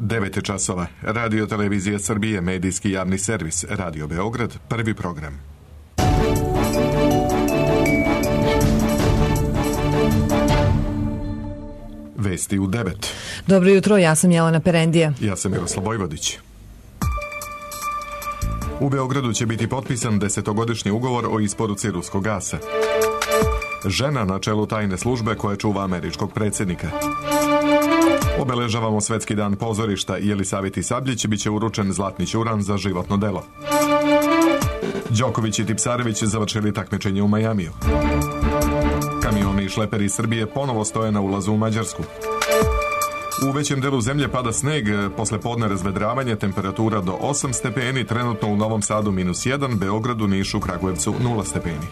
9 časova. Radio Televizija Srbije, medijski javni servis, Radio Beograd, prvi program. Vesti u 9. Dobro jutro, ja sam Jelena Perendija. Ja sam Miroslav Vojvodić. U Beogradu će biti potpisan 10-godišnji ugovor o isporuci ruskog gasa. Žena na čelu tajne službe koja čuva američkog predsjednika. Obeležavamo Svetski dan pozorišta. Jelisaveti Sabljić biće uručen zlatni ćuran za životno delo. Đoković i Tipsarević završili takmičenje u Majamiju. Kamioni i šleperi iz Srbije ponovo stoje na ulazu u Mađarsku. U većem delu zemlje pada sneg, posle podne razvedravanje, temperatura do 8 stepeni, trenutno u Novom Sadu -1, Beogradu, Nišu, Kragujevcu 0 stepeni.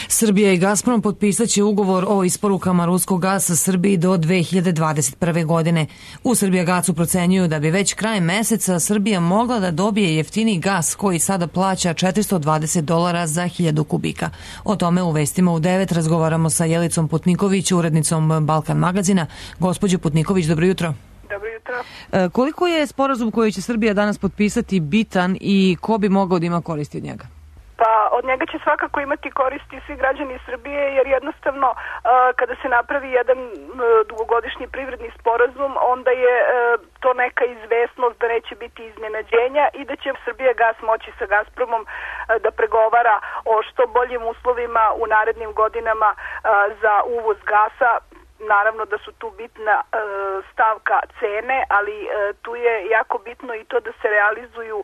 Srbija i Gazprom potpisat će ugovor o isporukama ruskog gasa Srbiji do 2021. godine. U Srbijagasu procenjuju da bi već krajem meseca Srbija mogla da dobije jeftiniji gas koji sada plaća $420 za 1000 kubika. O tome u vestima u 9 razgovaramo sa Jelicom Putniković, urednicom Balkan magazina. Gospođo Putniković, dobro jutro. Dobro jutro. Koliko je sporazum koji će Srbija danas potpisati bitan i ko bi mogao da ima koristi od njega? Pa od njega će svakako imati koristi svi građani Srbije, jer jednostavno kada se napravi jedan dugogodišnji privredni sporazum, onda je to neka izvesnost da neće biti iznenađenja i da će Srbijagas moći sa Gazpromom da pregovara o što boljim uslovima u narednim godinama za uvoz gasa. Naravno da su tu bitna stavka cene, ali tu je jako bitno i to da se realizuju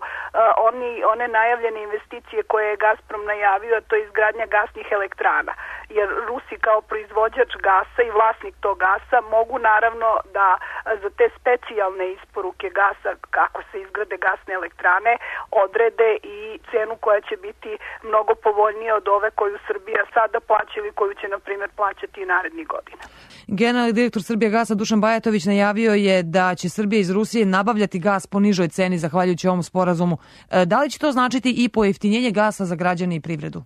one najavljene investicije koje je Gazprom najavio, a to je izgradnja gasnih elektrana. Jer Rusi kao proizvođač gasa i vlasnik tog gasa mogu naravno da za te specijalne isporuke gasa, kako se izgrade gasne elektrane, odrede i cenu koja će biti mnogo povoljnija od ove koju Srbija sada plaća ili koju će, na primjer, plaćati i narednih godina. Generalni direktor Srbijagasa Dušan Bajatović najavio je da će Srbija iz Rusije nabavljati gas po nižoj ceni zahvaljujući ovom sporazumu. Da li će to značiti i pojeftinjenje gasa za građane i privredu?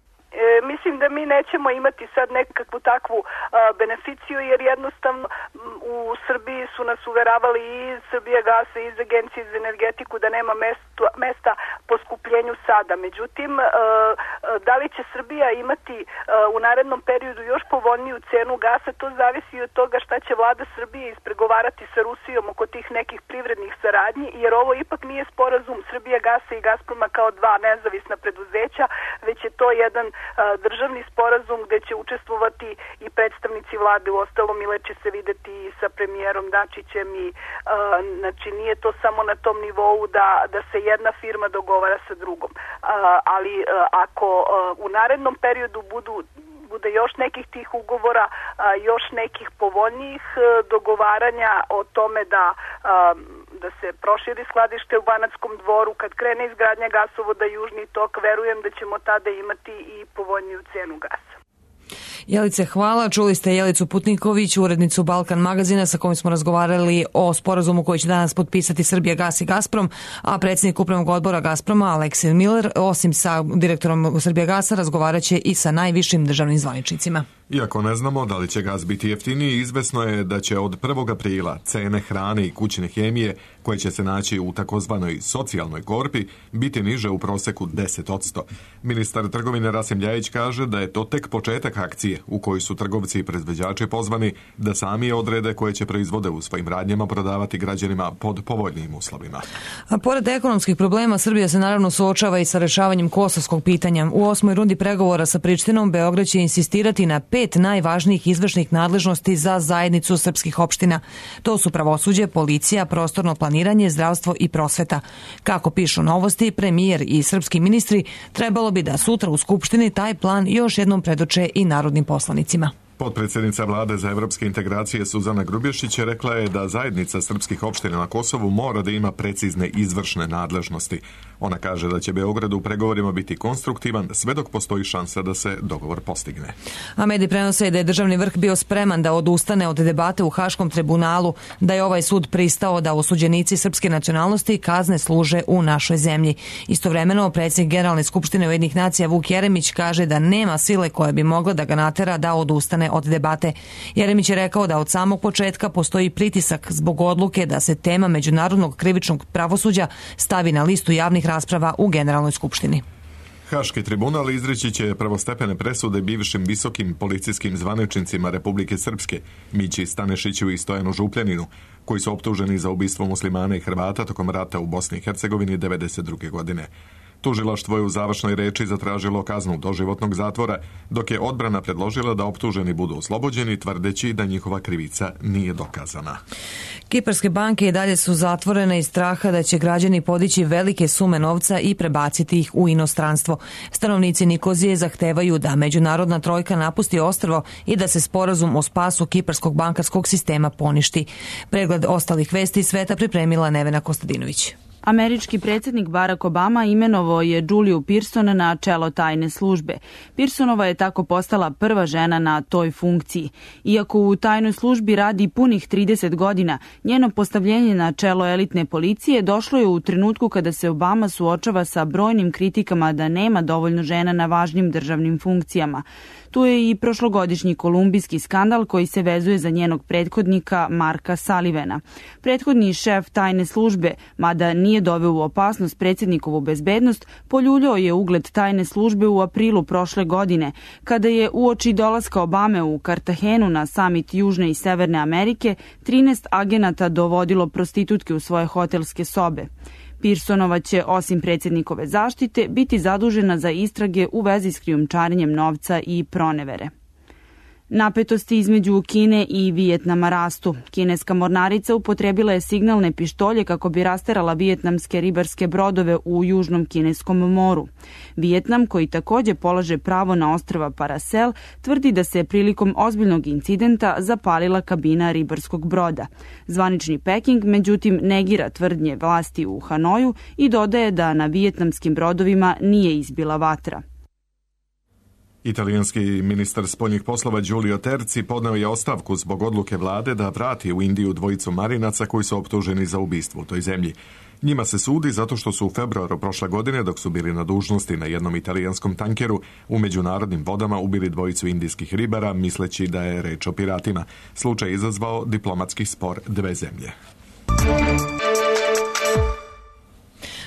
Mislim da mi nećemo imati sad nekakvu takvu beneficiju, jer jednostavno u Srbiji su nas uveravali i iz Srbijagasa i iz Agencije za energetiku da nema mesta poskupljenju sada. Međutim, da li će Srbija imati u narednom periodu još povoljniju cenu gasa, to zavisi od toga šta će vlada Srbije ispregovarati sa Rusijom oko tih nekih privrednih saradnji, jer ovo ipak nije sporazum Srbijagasa i Gazproma kao dva nezavisna preduzeća, već je to jedan državni sporazum gde će učestvovati i predstavnici vlade, u ostalom Ile će se videti i sa premijerom Dačićem i znači nije to samo na tom nivou da se jedna firma dogovara sa drugom. Ali ako u narednom periodu bude još nekih tih ugovora, još nekih povoljnijih dogovaranja o tome da se proširi skladište u Banatskom Dvoru, kad krene izgradnja gasovoda Južni tok, verujem da ćemo tada imati i povoljniju cenu gasa. Jelice, hvala. Čuli ste Jelicu Putniković, urednicu Balkan magazina, sa kojim smo razgovarali o sporazumu koji će danas potpisati Srbijagas i Gazprom, a predsjednik upravnog odbora Gazproma, Aleksej Miller, osim sa direktorom Srbijagasa, razgovarat će i sa najvišim državnim zvaničnicima. Iako ne znamo da li će gas biti jeftiniji, izvesno je da će od 1. aprila cene hrane i kućne hemije, koje će se naći u takozvanoj socijalnoj korpi, biti niže u proseku 10%. Ministar trgovine Rasim Ljajić kaže da je to tek početak akcije u kojoj su trgovci i proizvođači pozvani da sami odrede koje će proizvode u svojim radnjama prodavati građanima pod povoljnijim uslovima. A pored ekonomskih problema, Srbija se naravno suočava i sa rešavanjem kosovskog pitanja. U 8. rundi pregovora sa Prištinom Beograd će insistirati na 5 najvažnijih izvršnih nadležnosti za zajednicu srpskih opština. To su pravosuđe, policija, prostorno planiranje, zdravstvo i prosveta. Kako pišu Novosti, premijer i srpski ministri trebalo bi da sutra u Skupštini taj plan još jednom predoče i narodnim poslanicima. Potpredsjednica vlade za evropske integracije Suzana Grubješić rekla je da zajednica srpskih opština na Kosovu mora da ima precizne izvršne nadležnosti. Ona kaže da će Beograd u pregovorima biti konstruktivan sve dok postoji šansa da se dogovor postigne. A mediji prenose da je državni vrh bio spreman da odustane od debate u Haškom tribunalu, da je ovaj sud pristao da osuđenici srpske nacionalnosti kazne služe u našoj zemlji. Istovremeno, predsjednik Generalne skupštine Ujedinjenih nacija Vuk Jeremić kaže da nema sile koja bi mogla da ga natera da odustane odustane od debate. Jeremić je rekao da od samog početka postoji pritisak zbog odluke da se tema međunarodnog krivičnog pravosuđa stavi na listu javnih rasprava u Generalnoj skupštini. Haški tribunal izreći će prvostepene presude bivšim visokim policijskim zvaničnicima Republike Srpske, Mići Stanešiću i Stojanu Župljaninu, koji su optuženi za ubistvo muslimana i Hrvata tokom rata u Bosni i Hercegovini 1992. godine. Tužilaštvo je u završnoj reči zatražilo kaznu doživotnog zatvora, dok je odbrana predložila da optuženi budu oslobođeni, tvrdeći da njihova krivica nije dokazana. Kiparske banke i dalje su zatvorene iz straha da će građani podići velike sume novca i prebaciti ih u inostranstvo. Stanovnici Nikozije zahtevaju da međunarodna trojka napusti ostrvo i da se sporazum o spasu kiparskog bankarskog sistema poništi. Pregled ostalih vesti sveta pripremila Nevena Kostadinović. Američki predsjednik Barack Obama imenovao je Juliju Pearson na čelo tajne službe. Pearsonova je tako postala prva žena na toj funkciji. Iako u tajnoj službi radi punih 30 godina, njeno postavljenje na čelo elitne policije došlo je u trenutku kada se Obama suočava sa brojnim kritikama da nema dovoljno žena na važnim državnim funkcijama. Tu je i prošlogodišnji kolumbijski skandal koji se vezuje za njenog prethodnika Marka Sullivana. Prethodni šef tajne službe, mada nije doveo u opasnost predsjednikovu bezbednost, poljuljao je ugled tajne službe u aprilu prošle godine, kada je uoči dolaska Obame u Kartahenu na samit Južne i Severne Amerike 13 agenata dovodilo prostitutke u svoje hotelske sobe. Pearsonova će, osim predsjednikove zaštite, biti zadužena za istrage u vezi s krijumčarenjem novca i pronevere. Napetosti između Kine i Vijetnama rastu. Kineska mornarica upotrebila je signalne pištolje kako bi rasterala vijetnamske ribarske brodove u Južnom Kineskom moru. Vijetnam, koji također polaže pravo na ostrva Paracel, tvrdi da se prilikom ozbiljnog incidenta zapalila kabina ribarskog broda. Zvanični Peking, međutim, negira tvrdnje vlasti u Hanoju i dodaje da na vijetnamskim brodovima nije izbila vatra. Italijanski ministar spoljnih poslova Giulio Terzi podneo je ostavku zbog odluke vlade da vrati u Indiju dvojicu marinaca koji su optuženi za ubistvo u toj zemlji. Njima se sudi zato što su u februaru prošle godine, dok su bili na dužnosti na jednom italijanskom tankeru, u međunarodnim vodama ubili dvojicu indijskih ribara, misleći da je reč o piratima. Slučaj je izazvao diplomatski spor dve zemlje.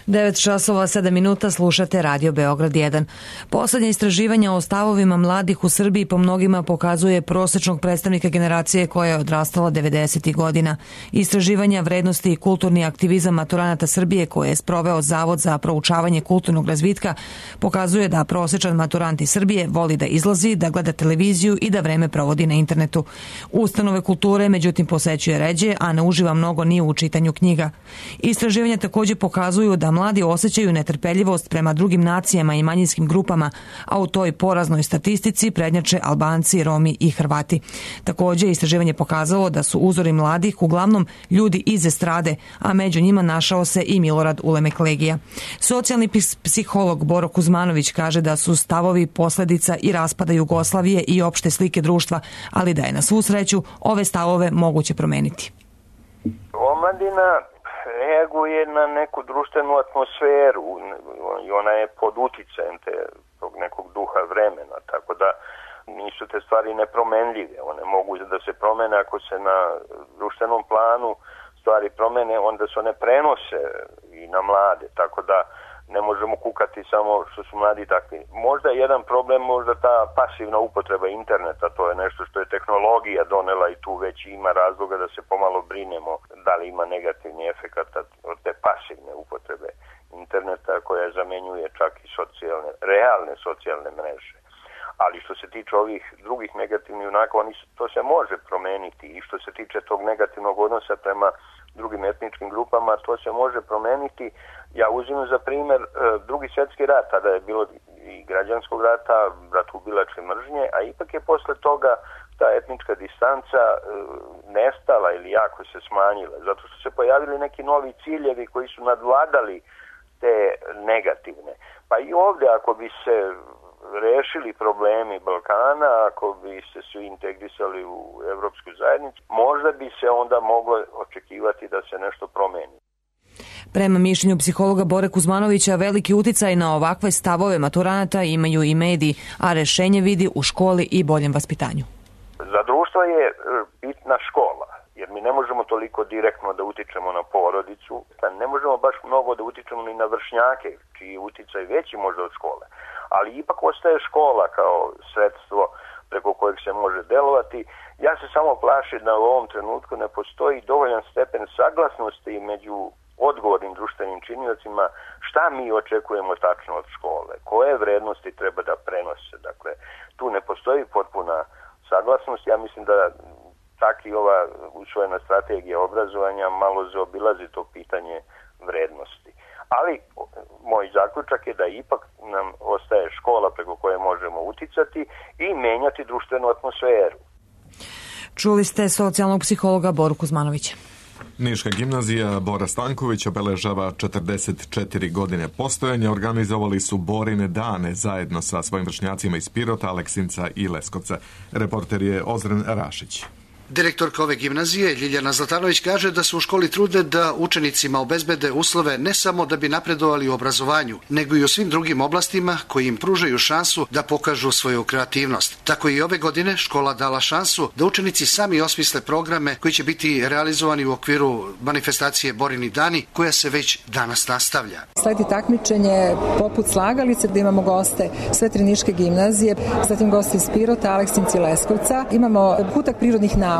9:07 slušate Radio Beograd 1. Poslednje istraživanja o stavovima mladih u Srbiji po mnogima pokazuje prosečnog predstavnika generacije koja je odrastala 90. godina. Istraživanja vrednosti i kulturni aktivizam maturanata Srbije koje je sproveo Zavod za proučavanje kulturnog razvitka pokazuje da prosečan maturant iz Srbije voli da izlazi, da gleda televiziju i da vreme provodi na internetu. Ustanove kulture međutim posećuje ređe, a ne uživa mnogo ni u čitanju knjiga. Istraživanja također pokazuju da mladi osjećaju netrpeljivost prema drugim nacijama i manjinskim grupama, a u toj poraznoj statistici prednjače Albanci, Romi i Hrvati. Također, istraživanje pokazalo da su uzori mladih uglavnom ljudi iz estrade, a među njima našao se i Milorad Ulemek-Legija. Socijalni psiholog Boro Kuzmanović kaže da su stavovi posljedica i raspada Jugoslavije i opšte slike društva, ali da je na svu sreću ove stavove moguće promeniti. Omladina reaguje na neku društvenu atmosferu i ona je pod uticajem tog nekog duha vremena, tako da nisu te stvari nepromenljive. One mogu da se promene ako se na društvenom planu stvari promene, onda se one prenose i na mlade, tako da ne možemo kukati samo što su mladi takvi. Možda je jedan problem, možda ta pasivna upotreba interneta, to je nešto što je tehnologija donela i tu već ima razloga da se pomalo brinemo da li ima negativni efekat od te pasivne upotrebe interneta koja zamenjuje čak i realne socijalne mreže. Ali što se tiče ovih drugih negativnih junaka, to se može promeniti i što se tiče tog negativnog odnosa prema drugim etničkim grupama, to se može promeniti. Ja uzimam za primjer Drugi svjetski rat, tada je bilo i građanskog rata, bratoubilačke mržnje, a ipak je posle toga ta etnička distanca nestala ili jako se smanjila, zato što se pojavili neki novi ciljevi koji su nadvladali te negativne. Pa i ovdje ako bi se rešili problemi Balkana, ako bi se svi integrisali u Evropsku zajednicu, možda bi se onda moglo očekivati da se nešto promeni. Prema mišljenju psihologa Bore Kuzmanovića, veliki uticaj na ovakve stavove maturanata imaju i mediji, a rešenje vidi u školi i boljem vaspitanju. bitna škola, jer mi ne možemo toliko direktno da utičemo na porodicu, ne možemo baš mnogo da utičemo ni na vršnjake, čiji je uticaj veći možda od škole, ali ipak ostaje škola kao sredstvo preko kojeg se može delovati. Ja se samo plašim da u ovom trenutku ne postoji dovoljan stepen saglasnosti među odgovornim društvenim činiocima šta mi očekujemo tačno od škole, koje vrednosti treba da prenose. Dakle, tu ne postoji potpuna saglasnost. Ja mislim da tak i ova usvojena strategija obrazovanja malo zaobilazi to pitanje vrednosti. Ali moj zaključak je da ipak nam ostaje škola preko koje možemo uticati i menjati društvenu atmosferu. Čuli ste socijalnog psihologa Boru Kuzmanovića. Niška gimnazija Bora Stanković obeležava 44 godine postojanja. Organizovali su Borine dane zajedno sa svojim vršnjacima iz Pirota, Aleksinca i Leskovca. Reporter je Ozren Rašić. Direktorka ove gimnazije, Ljiljana Zlatanović, kaže da su u školi trude da učenicima obezbede uslove ne samo da bi napredovali u obrazovanju, nego i u svim drugim oblastima koji im pružaju šansu da pokažu svoju kreativnost. Tako i ove godine škola dala šansu da učenici sami osmisle programe koji će biti realizovani u okviru manifestacije Borini dani, koja se već danas nastavlja. Sledi takmičenje poput slagalice gdje imamo goste sve tri niške gimnazije, zatim goste iz Pirota, Aleksinca i Leskovca. Imamo kutak prirodnih nauka,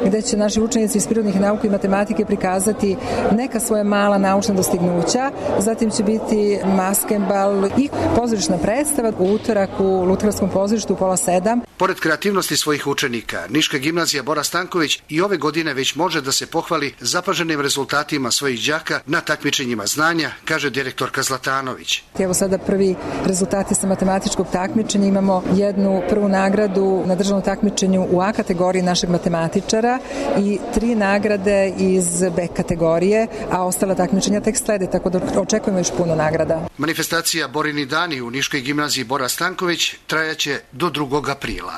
gde će naši učenici iz prirodnih nauka i matematike prikazati neka svoja mala naučna dostignuća. Zatim će biti maskembal i pozorišna predstava u utorak u Lutkarskom pozorištu u 6:30. Pored kreativnosti svojih učenika, Niška gimnazija Bora Stanković i ove godine već može da se pohvali zapaženim rezultatima svojih đaka na takmičenjima znanja, kaže direktorka Zlatanović. Evo sada prvi rezultati sa matematičkog takmičenja. Imamo jednu prvu nagradu na državnom takmičenju u A kategoriji našeg matematičara i 3 nagrade iz B kategorije, a ostala takmičenja tek slede, tako da očekujemo još puno nagrada. Manifestacija Borini dani u Niškoj gimnaziji Bora Stanković trajaće do 2. aprila.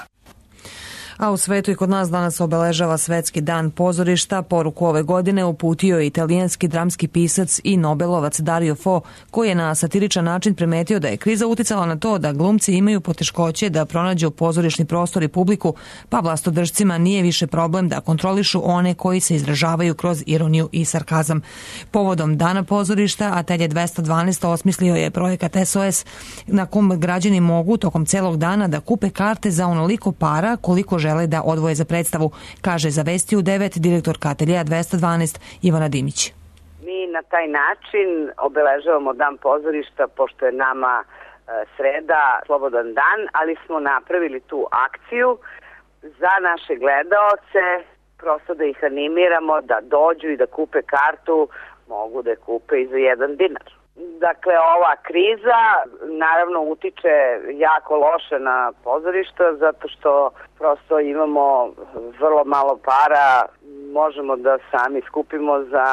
A u svetu i kod nas danas obeležava Svetski dan pozorišta. Poruku ove godine uputio je italijanski dramski pisac i nobelovac Dario Fo, koji je na satiričan način primetio da je kriza uticala na to da glumci imaju poteškoće da pronađu pozorišni prostor i publiku, pa vlastodržcima nije više problem da kontrolišu one koji se izražavaju kroz ironiju i sarkazam. Povodom Dana pozorišta, Atelje 212 osmislio je projekat SOS na kom građani mogu tokom celog dana da kupe karte za onoliko para koliko žele da odvoje za predstavu, kaže za Vesti u 9 direktorka Ateljeja 212 Ivana Dimić. Mi na taj način obeležavamo Dan pozorišta, pošto je nama sreda slobodan dan, ali smo napravili tu akciju za naše gledaoce, prosto da ih animiramo da dođu i da kupe kartu, mogu da je kupe i za 1 dinar. Dakle, ova kriza naravno utiče jako loše na pozorišta, zato što prosto imamo vrlo malo para, možemo da sami skupimo za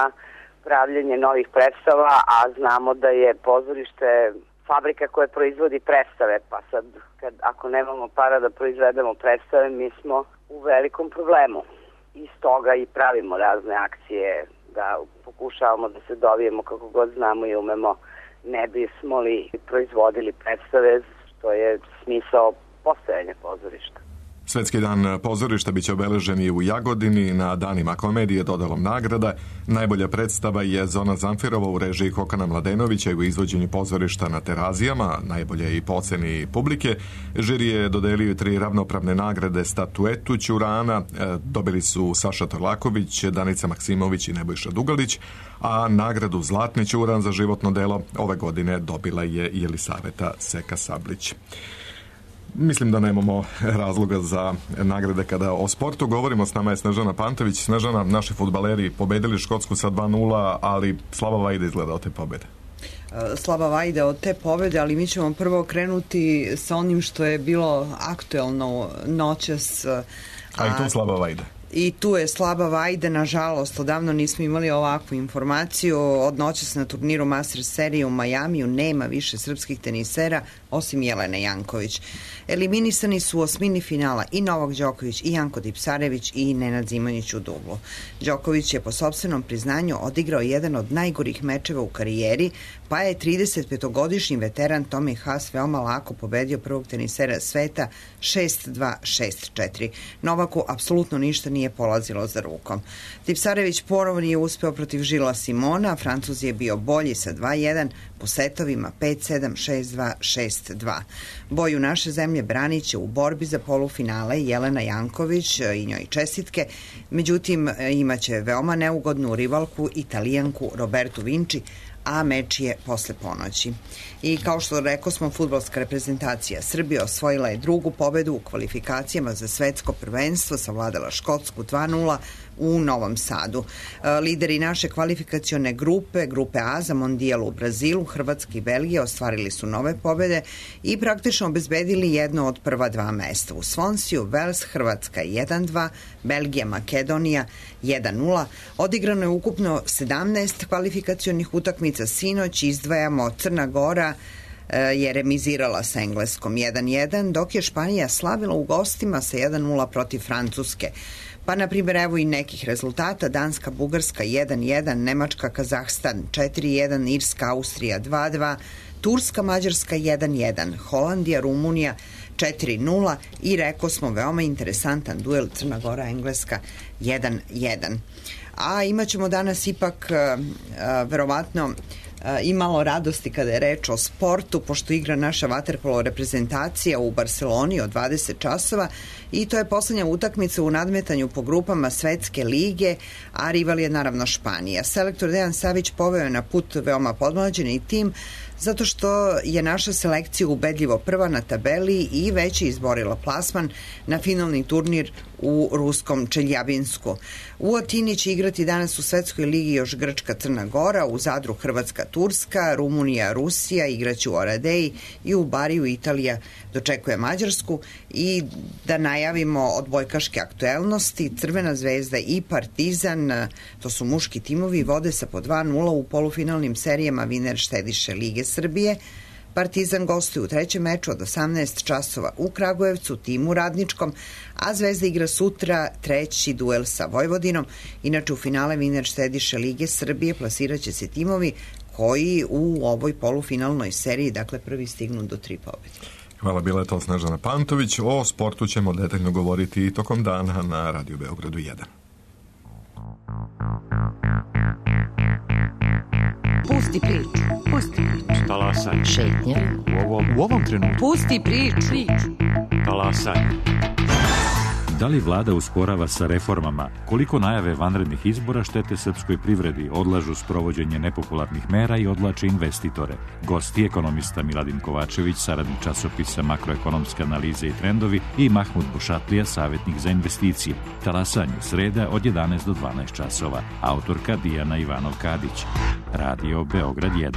pravljenje novih predstava, a znamo da je pozorište fabrika koja proizvodi predstave, pa sad ako nemamo para da proizvedemo predstave, mi smo u velikom problemu. Iz toga i pravimo razne akcije, da pokušavamo da se dovijemo kako god znamo i umemo, ne bismo li proizvodili predstave, što je smisao postojanja pozorišta. Svetski dan pozorišta biće obeležen i u Jagodini na danima komedije dodelom nagrada. Najbolja predstava je Zona Zamfirova u režiji Kokana Mladenovića i u izvođenju pozorišta na Terazijama, najbolje i po oceni publike. Žiri je dodelio 3 ravnopravne nagrade statuetu Ćurana, dobili su Saša Torlaković, Danica Maksimović i Nebojša Dugalić, a nagradu Zlatni Ćuran za životno delo ove godine dobila je Jelisaveta Seka Sablić. Mislim da nemamo razloga za nagrade kada o sportu govorimo. S nama je Snežana Pantović. Snežana, naši fudbaleri pobedili Škotsku sa 2:0, ali slaba vajda izgleda od te pobede. Slaba vajda od te pobede, ali mi ćemo prvo krenuti sa onim što je bilo aktuelno noćas. A i tu slaba vajda. I tu je slaba vajda, nažalost, odavno nismo imali ovakvu informaciju. Od noćas na turniru Masters serije u Majamiju nema više srpskih tenisera, osim Jelene Janković. Eliminisani su u osmini finala i Novak Đoković, i Janko Tipsarević, i Nenad Zimonjić u dublu. Đoković je po sopstvenom priznanju odigrao jedan od najgorih mečeva u karijeri, pa je 35-godišnji veteran Tommy Haas veoma lako pobedio prvog tenisera sveta 6-2, 6-4. Novaku apsolutno ništa nije nije polazilo za rukom. Tipsarević ponovo nije uspeo protiv Žila Simona, Francuz je bio bolji sa 2-1, po setovima 5-7, 6-2, 6-2. Boju naše zemlje branit će u borbi za polufinale Jelena Janković i njoj čestitke, međutim imaće veoma neugodnu rivalku Italijanku Robertu Vinci, a meč je posle ponoći. I kao što rekao smo, fudbalska reprezentacija Srbije osvojila je drugu pobedu u kvalifikacijama za svetsko prvenstvo, savladala Škotsku 2-0 u Novom Sadu. Lideri naše kvalifikacione grupe A za mondijal u Brazilu, Hrvatska i Belgija ostvarili su nove pobede i praktično obezbedili jedno od prva dva mesta. U Svonsiju, Vels, Hrvatska 1-2, Belgija, Makedonija 1-0. Odigrano je ukupno 17 kvalifikacionih utakmica. Sinoć izdvajamo Crna Gora je remizirala sa Engleskom 1-1, dok je Španija slavila u gostima sa 1-0 protiv Francuske. Pa, na primjer, evo i nekih rezultata. Danska, Bugarska 1-1, Nemačka, Kazahstan 4-1, Irska, Austrija 2-2, Turska, Mađarska 1-1, Holandija, Rumunija 4-0 i rekao smo veoma interesantan duel Crna Gora, Engleska 1-1. A imat ćemo danas ipak verovatno i malo radosti kada je reč o sportu, pošto igra naša vaterpolo reprezentacija u Barceloni od 20 časova i to je poslednja utakmica u nadmetanju po grupama Svetske lige, a rival je naravno Španija. Selektor Dejan Savić poveo je na put veoma podmlađeni tim, zato što je naša selekcija ubedljivo prva na tabeli i već je izborila plasman na finalni turnir u ruskom Čeljabinsku. U Atini će igrati danas u Svetskoj ligi još Grčka, Crna Gora, u Zadru Hrvatska, Turska, Rumunija, Rusija, igraće u Oradeji i u Bariju Italija dočekuje Mađarsku. I da najavimo odbojkaške aktuelnosti, Crvena zvezda i Partizan, to su muški timovi, vode sa po 2-0 u polufinalnim serijama Viner Štediše Lige Srbije. Partizan gostuje u trećem meču od 18 časova u Kragujevcu, timu radničkom, a Zvezda igra sutra treći duel sa Vojvodinom. Inače, u finale Viner Štediše Lige Srbije plasirat će se timovi koji u ovoj polufinalnoj seriji, dakle, prvi stignu do 3 pobjede. Hvala, bila je to Snežana Pantović. O sportu ćemo detaljno govoriti i tokom dana na Radio Beogradu 1. Pusti priču. Pusti priču. Talasaj. Šetnja. U ovom trenutku. Pusti priču. Talasaj. Da li vlada usporava sa reformama? Koliko najave vanrednih izbora štete srpskoj privredi, odlažu sprovođenje nepopularnih mera i odvlače investitore? Gosti ekonomista Miladin Kovačević, saradnik časopisa Makroekonomske analize i trendovi, i Mahmud Bušatlija, savjetnik za investicije. Talasanje sreda od 11 do 12 časova. Autorka Dijana Ivanov-Kadić. Radio Beograd 1.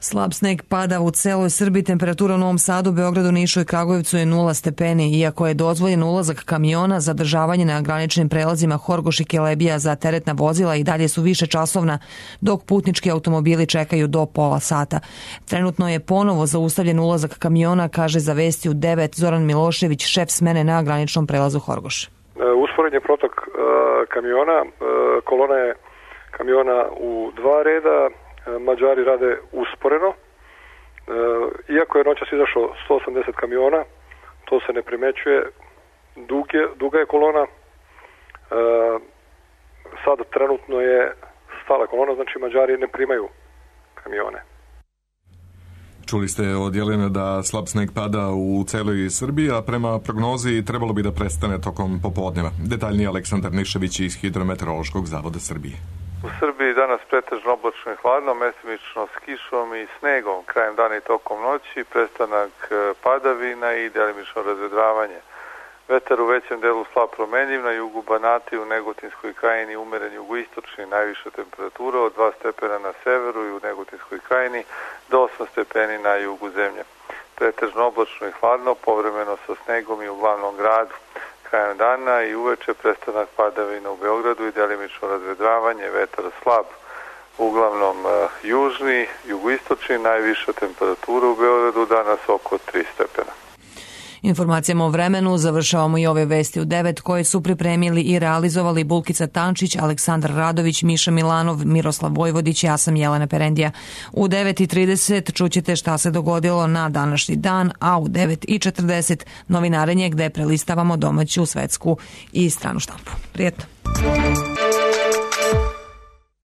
Slab sneg pada u celoj Srbiji, temperatura u Novom Sadu, Beogradu, Nišu i Kragujevcu je 0 stepeni, iako je dozvoljen ulazak kamiona, zadržavanje na graničnim prelazima Horgoš i Kelebija za teretna vozila i dalje su više časovna, dok putnički automobili čekaju do pola sata. Trenutno je ponovo zaustavljen ulazak kamiona, kaže za Vesti u 9 Zoran Milošević, šef smene na graničnom prelazu Horgoš. Usporen je protok kamiona, kolona je kamiona u 2 reda, Mađari rade usporeno. Iako je noćas izašlo 180 kamiona, to se ne primećuje. Duga je kolona. Sad trenutno je stala kolona, znači Mađari ne primaju kamione. Čuli ste od Jelene da slab sneg pada u celoj Srbiji, a prema prognozi trebalo bi da prestane tokom popodneva. Detaljnije Aleksandar Nišević iz Hidrometeorološkog zavoda Srbije. U Srbiji danas pretežno oblačno i hladno, mestimično s kišom i snegom krajem dana i tokom noći, prestanak padavina i delimično razvedravanje. Vetar u većem delu slab promenljiv, na jugu Banata i u Negotinskoj krajini umeren jugoistočni, najviša temperatura od 2 stepena na severu i u Negotinskoj krajini do 8 stepeni na jugu zemlje. Pretežno oblačno i hladno, povremeno sa snegom i u glavnom gradu. Krajem dana i uveče prestanak padavina u Beogradu i delimično razvedravanje, vetar slab, uglavnom južni, jugoistočni, najviša temperatura u Beogradu danas oko 3 stepena. Informacijama o vremenu završavamo i ove vesti u 9 koje su pripremili i realizovali Bulkica Tančić, Aleksandar Radović, Miša Milanov, Miroslav Vojvodić, ja sam Jelena Perendija. U 9:30 čućete šta se dogodilo na današnji dan, a u 9:40 novinarenje gde prelistavamo domaću, svetsku i stranu štampu. Prijetno.